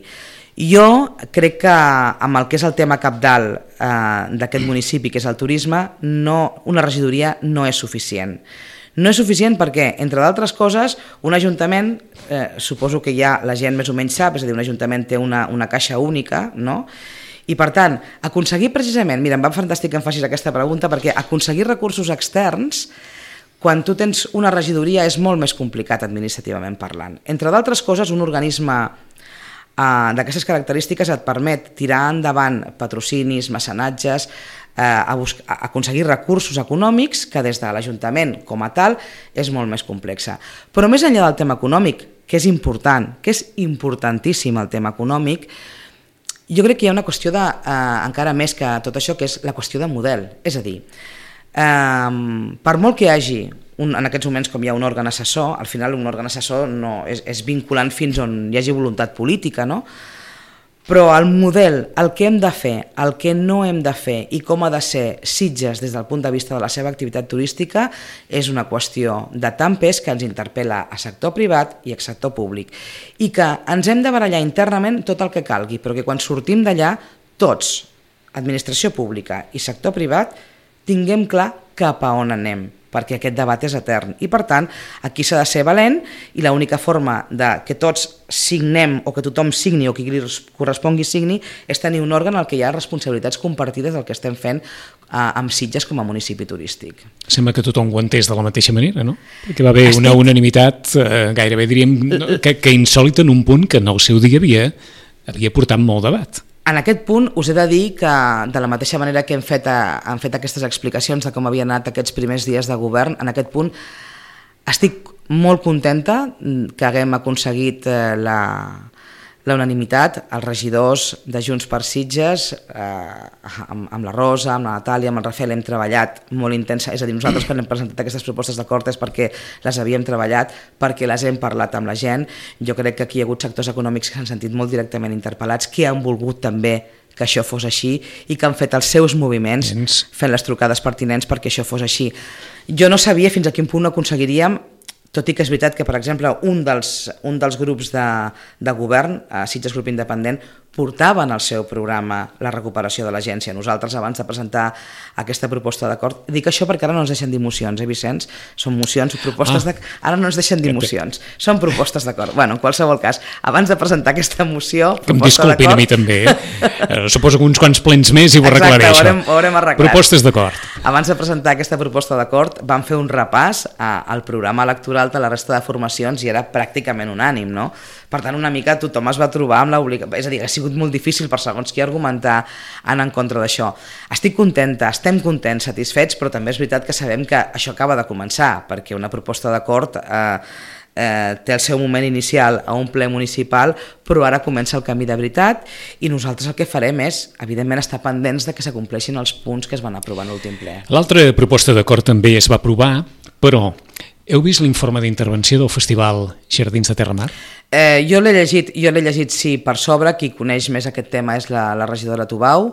Jo crec que amb el que és el tema cabdal eh, d'aquest municipi, que és el turisme, no, una regidoria no és suficient. No és suficient perquè, entre d'altres coses, un ajuntament, eh, suposo que ja la gent més o menys sap, és a dir, un ajuntament té una, una caixa única, no? I per tant, aconseguir precisament, mira, em va fantàstic que em facis aquesta pregunta, perquè aconseguir recursos externs, quan tu tens una regidoria, és molt més complicat administrativament parlant. Entre d'altres coses, un organisme Uh, d'aquestes característiques et permet tirar endavant patrocinis, mecenatges, uh, a, a aconseguir recursos econòmics que des de l'Ajuntament com a tal és molt més complexa. Però més enllà del tema econòmic, que és important, que és importantíssim el tema econòmic, jo crec que hi ha una qüestió de, uh, encara més que tot això, que és la qüestió de model. És a dir, uh, per molt que hi hagi Un, en aquests moments com hi ha un òrgan assessor, al final un òrgan assessor no, és, és vinculant fins on hi hagi voluntat política, no? Però el model, el que hem de fer, el que no hem de fer i com ha de ser Sitges des del punt de vista de la seva activitat turística és una qüestió de tant pes que ens interpel·la a sector privat i a sector públic. I que ens hem de barallar internament tot el que calgui, però que quan sortim d'allà, tots, administració pública i sector privat, tinguem clar cap a on anem, perquè aquest debat és etern. I per tant, aquí s'ha de ser valent i l'única forma de que tots signem o que tothom signi o que li correspongui signi és tenir un òrgan en el que hi ha responsabilitats compartides del que estem fent amb Sitges com a municipi turístic. Sembla que tothom ho entès de la mateixa manera, no? Perquè va haver Estic... una unanimitat eh, gairebé diríem que, que insòlita en un punt que en el seu dia havia, havia portat molt debat. En aquest punt us he de dir que de la mateixa manera que hem fet, hem fet aquestes explicacions de com havien anat aquests primers dies de govern, en aquest punt estic molt contenta que haguem aconseguit la, la unanimitat. Els regidors de Junts per Sitges, eh, amb, amb la Rosa, amb la Natàlia, amb el Rafael, hem treballat molt intensa, és a dir, nosaltres quan hem presentat aquestes propostes d'acord és perquè les havíem treballat, perquè les hem parlat amb la gent. Jo crec que aquí hi ha hagut sectors econòmics que s'han sentit molt directament interpel·lats, que han volgut també que això fos així i que han fet els seus moviments fent les trucades pertinents perquè això fos així. Jo no sabia fins a quin punt aconseguiríem, tot i que és veritat que, per exemple, un dels, un dels grups de, de govern, Sitges Grup Independent, portaven al seu programa la recuperació de l'agència. Nosaltres, abans de presentar aquesta proposta d'acord, dic això perquè ara no ens deixen dir mocions, eh, Vicenç? Són mocions, propostes ah. de... Ara no ens deixen dir mocions, són propostes d'acord. Bueno, en qualsevol cas, abans de presentar aquesta moció, que em disculpin a mi també, eh? Suposo que uns quants plens més i ho Exacte, arreglaré, ho haurem, ho haurem arreglat. Propostes d'acord. Abans de presentar aquesta proposta d'acord, vam fer un repàs a, al programa electoral de la resta de formacions i era pràcticament unànim, no? Per tant, una mica tothom es va trobar amb l'obligació, és a dir, ha sigut molt difícil per segons qui argumentar anar en contra d'això. Estic contenta, estem contents, satisfets, però també és veritat que sabem que això acaba de començar, perquè una proposta d'acord eh, eh, té el seu moment inicial a un ple municipal, però ara comença el camí de veritat i nosaltres el que farem és, evidentment, estar pendents de que s'acompleixin els punts que es van aprovar en l'últim ple. L'altra proposta d'acord també es va aprovar, però heu vist l'informe d'intervenció del Festival Jardins de Terramar? Eh, jo l'he llegit, jo l'he llegit, sí, per sobre. Qui coneix més aquest tema és la, la regidora Tubau.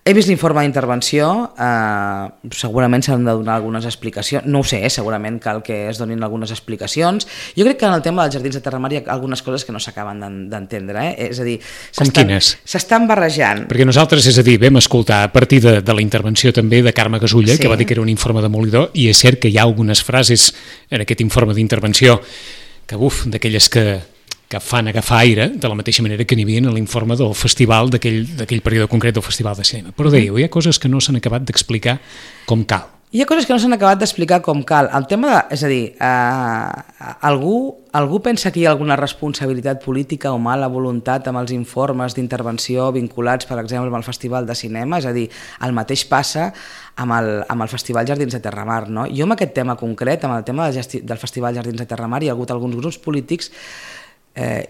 He vist l'informe d'intervenció, eh, segurament s'han de donar algunes explicacions, no ho sé, eh, segurament cal que es donin algunes explicacions. Jo crec que en el tema dels Jardins de Terramar hi ha algunes coses que no s'acaben d'entendre, eh? És a dir, com quines? S'estan barrejant. Perquè nosaltres, és a dir, vam escoltar a partir de, de la intervenció també de Carme Gasulla, sí, que va dir que era un informe demolidor, i és cert que hi ha algunes frases en aquest informe d'intervenció que, buf, d'aquelles que... que fan agafar aire, de la mateixa manera que n'hi havia en l'informe del festival, d'aquell període concret del Festival de Cinema. Però dèieu, hi ha coses que no s'han acabat d'explicar com cal. Hi ha coses que no s'han acabat d'explicar com cal. El tema de, és a dir, eh, algú, algú pensa que hi ha alguna responsabilitat política o mala voluntat amb els informes d'intervenció vinculats, per exemple, amb el Festival de Cinema? És a dir, el mateix passa amb el, amb el Festival Jardins de Terramar, no? Jo amb aquest tema concret, amb el tema del, gesti, del Festival Jardins de Terramar, hi ha hagut alguns grups polítics Eh,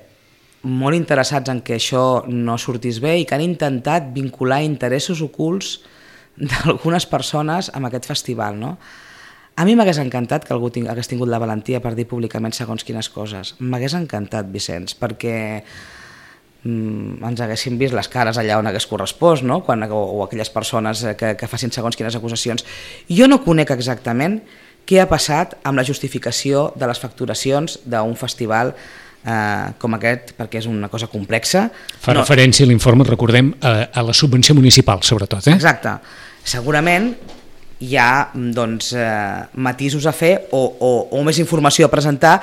molt interessats en que això no sortís bé i que han intentat vincular interessos ocults d'algunes persones amb aquest festival, no? A mi m'hagués encantat que algú ting hagués tingut la valentia per dir públicament segons quines coses. M'hagués encantat, Vicenç, perquè mm, ens haguéssim vist les cares allà on hagués correspost, no? Quan, o, o aquelles persones que, que facin segons quines acusacions. Jo no conec exactament què ha passat amb la justificació de les facturacions d'un festival Uh, com aquest, perquè és una cosa complexa. Fa no. referència a l'informe, recordem, a, a la subvenció municipal, sobretot. Eh? Exacte. Segurament hi ha doncs, uh, matisos a fer o, o, o més informació a presentar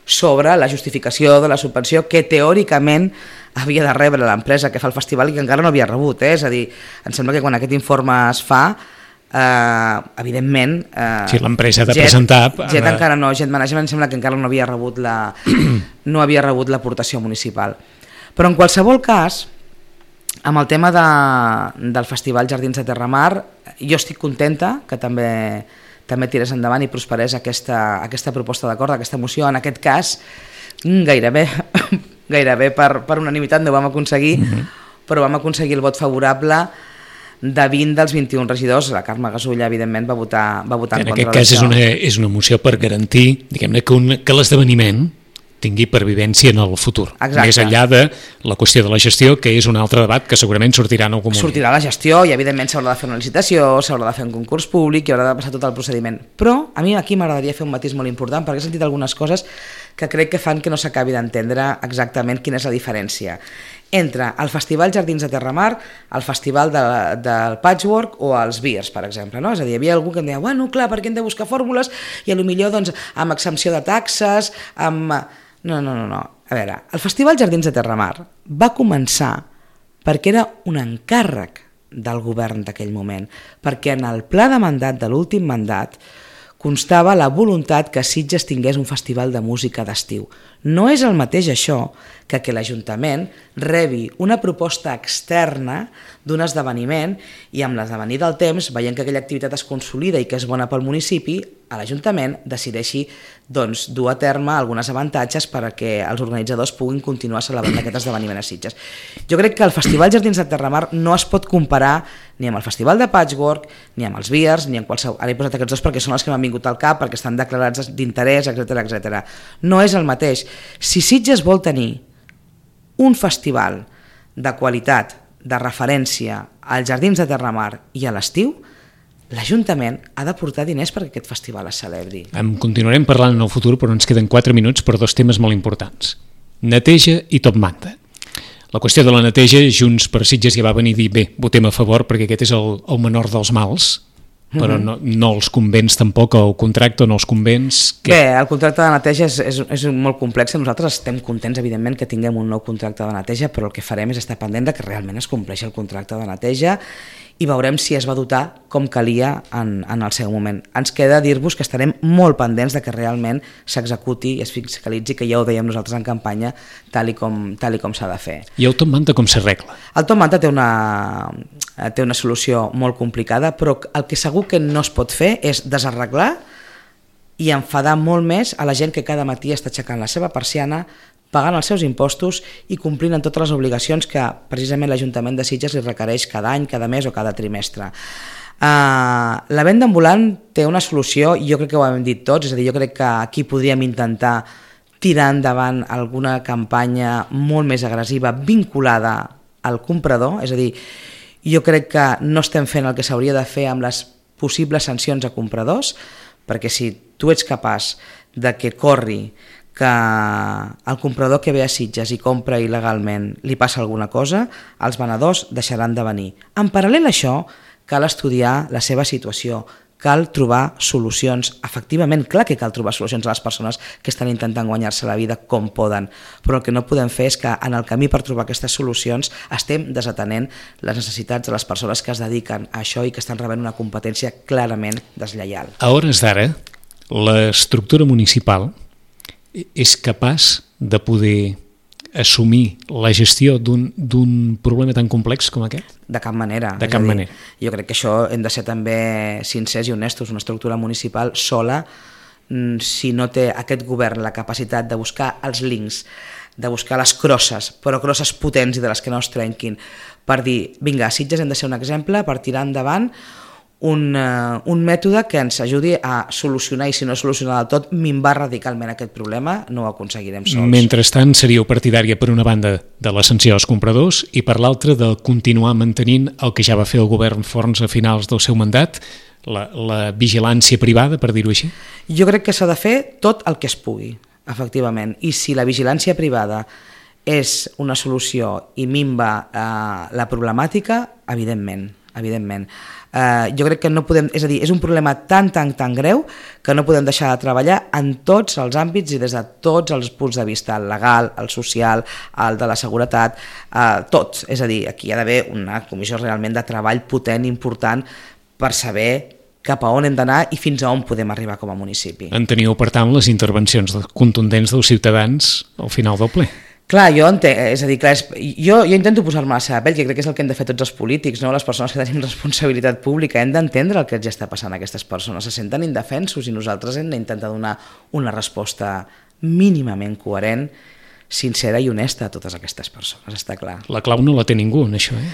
sobre la justificació de la subvenció que teòricament havia de rebre l'empresa que fa el festival i que encara no havia rebut. Eh? És a dir, em sembla que quan aquest informe es fa, Uh, evidentment uh, sí, l'empresa ha de Jet, presentar Jet encara no, Jet Management sembla que encara no havia rebut la no havia rebut l'aportació municipal, però en qualsevol cas amb el tema de, del Festival Jardins de Terramar jo estic contenta que també també tirés endavant i prosperés aquesta, aquesta proposta d'acord, aquesta moció. En aquest cas gairebé gairebé per, per unanimitat no ho vam aconseguir, mm-hmm. però vam aconseguir el vot favorable de vint dels vint-i-un regidors. La Carme Gasulla, evidentment, va votar, va votar en, en contra d'això. En aquest cas és una, és una moció per garantir, diguem-ne, que, un, que l'esdeveniment tingui pervivència en el futur. Exacte. Més enllà de la qüestió de la gestió, que és un altre debat que segurament sortirà en algun moment. Sortirà la gestió i, evidentment, s'haurà de fer una licitació, s'haurà de fer un concurs públic i haurà de passar tot el procediment. Però a mi aquí m'agradaria fer un matís molt important, perquè he sentit algunes coses que crec que fan que no s'acabi d'entendre exactament quina és la diferència entre el Festival Jardins de Terramar, el Festival de, del Patchwork o els Beers, per exemple. No? És a dir, hi havia algú que em deia, bueno, clar, perquè hem de buscar fórmules i potser doncs, amb exempció de taxes, amb... No, no, no, no. A veure, el Festival Jardins de Terramar va començar perquè era un encàrrec del govern d'aquell moment, perquè en el pla de mandat de l'últim mandat constava la voluntat que Sitges tingués un festival de música d'estiu. No és el mateix això que que l'Ajuntament rebi una proposta externa d'un esdeveniment i amb l'esdevenir del temps, veient que aquella activitat es consolida i que és bona pel municipi, a l'Ajuntament decideixi doncs, dur a terme alguns avantatges perquè els organitzadors puguin continuar celebrant aquest esdeveniment a Sitges. Jo crec que el Festival Jardins de Terramar no es pot comparar ni amb el Festival de Patchwork, ni amb els Beers, ni amb qualsevol... Ara he posat aquests dos perquè són els que m'han vingut al cap, perquè estan declarats d'interès, etcètera, etcètera. No és el mateix. Si Sitges vol tenir un festival de qualitat, de referència als Jardins de Terramar i a l'estiu, l'Ajuntament ha de portar diners perquè aquest festival es celebri. En continuarem parlant en el futur, però ens queden quatre minuts per dos temes molt importants. Neteja i top manta. La qüestió de la neteja, Junts per Sitges ja va venir a dir, bé, votem a favor perquè aquest és el, el menor dels mals, però no, no els convenç tampoc, el contracte no els convenç... Que... Bé, el contracte de neteja és, és, és molt complex. Nosaltres estem contents, evidentment, que tinguem un nou contracte de neteja, però el que farem és estar pendent de que realment es compleixi el contracte de neteja i veurem si es va dotar com calia en, en el seu moment. Ens queda dir-vos que estarem molt pendents de que realment s'executi i es fiscalitzi, que ja ho dèiem nosaltres en campanya, tal i com, tal i com s'ha de fer. I el top manta com s'arregla? El top manta té una, té una solució molt complicada, però el que segur que no es pot fer és desarreglar i enfadar molt més a la gent que cada matí està aixecant la seva persiana, pagant els seus impostos i complint amb totes les obligacions que precisament l'Ajuntament de Sitges li requereix cada any, cada mes o cada trimestre. Uh, la venda ambulant té una solució i jo crec que ho hem dit tots, és a dir, jo crec que aquí podríem intentar tirar endavant alguna campanya molt més agressiva vinculada al comprador, és a dir, jo crec que no estem fent el que s'hauria de fer amb les possibles sancions a compradors, perquè si tu ets capaç de que corri que el comprador que ve a Sitges i compra il·legalment li passa alguna cosa, els venedors deixaran de venir. En paral·lel a això, cal estudiar la seva situació, cal trobar solucions. Efectivament, clar que cal trobar solucions a les persones que estan intentant guanyar-se la vida com poden, però el que no podem fer és que en el camí per trobar aquestes solucions estem desatenent les necessitats de les persones que es dediquen a això i que estan rebent una competència clarament deslleial. A hores d'ara, l'estructura municipal és capaç de poder assumir la gestió d'un problema tan complex com aquest? De cap manera. De cap manera. Jo crec que això hem de ser també sincers i honestos. Una estructura municipal sola, si no té aquest govern la capacitat de buscar els links, de buscar les crosses, però crosses potents i de les que no es trenquin, per dir, vinga, a Sitges hem de ser un exemple per tirar endavant Un, uh, un mètode que ens ajudi a solucionar i si no solucionar del tot, minvar radicalment aquest problema, no ho aconseguirem sols. Mentrestant, seríeu partidària per una banda de la sanció als compradors i per l'altra de continuar mantenint el que ja va fer el govern Forns a finals del seu mandat, la, la vigilància privada, per dir-ho així? Jo crec que s'ha de fer tot el que es pugui, efectivament, i si la vigilància privada és una solució i minva uh, la problemàtica, evidentment, evidentment. Uh, jo crec que no podem, és a dir, és un problema tan, tan, tan greu que no podem deixar de treballar en tots els àmbits i des de tots els punts de vista, el legal, el social, el de la seguretat, uh, tots. És a dir, aquí hi ha d'haver una comissió realment de treball potent, important, per saber cap a on hem d'anar i fins a on podem arribar com a municipi. En teniu, per tant, les intervencions contundents dels ciutadans al final del ple. Clar, jo entenc, és a dir, clar, és, jo, jo intento posar-me a la seva pell, que crec que és el que hem de fer tots els polítics, no? Les persones que tenim responsabilitat pública, hem d'entendre el que ja està passant a aquestes persones, se senten indefensos i nosaltres hem d'intentar donar una resposta mínimament coherent, sincera i honesta a totes aquestes persones, està clar. La clau no la té ningú en això, eh?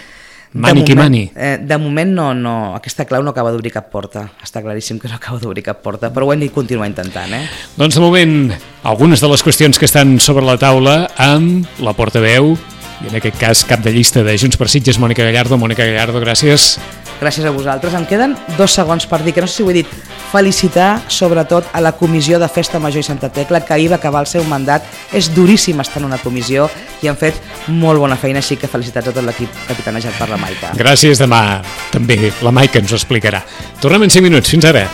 Mani qui mani. Eh, de moment no, no, aquesta clau no acaba d'obrir cap porta. Està claríssim que no acaba d'obrir cap porta, però ho hem de continuar intentant. Eh? Doncs de moment, algunes de les qüestions que estan sobre la taula amb la portaveu, i en aquest cas cap de llista de Junts per Sitges, Mònica Gallardo. Mònica Gallardo, gràcies. Gràcies a vosaltres. Em queden dos segons per dir, que no sé si ho he dit, felicitar sobretot a la Comissió de Festa Major i Santa Tecla, que ahir va acabar el seu mandat. És duríssim estar en una comissió i han fet molt bona feina, així que felicitats a tot l'equip capitanejat per la Maica. Gràcies, demà també la Maica ens ho explicarà. Tornem en cinc minuts, fins ara.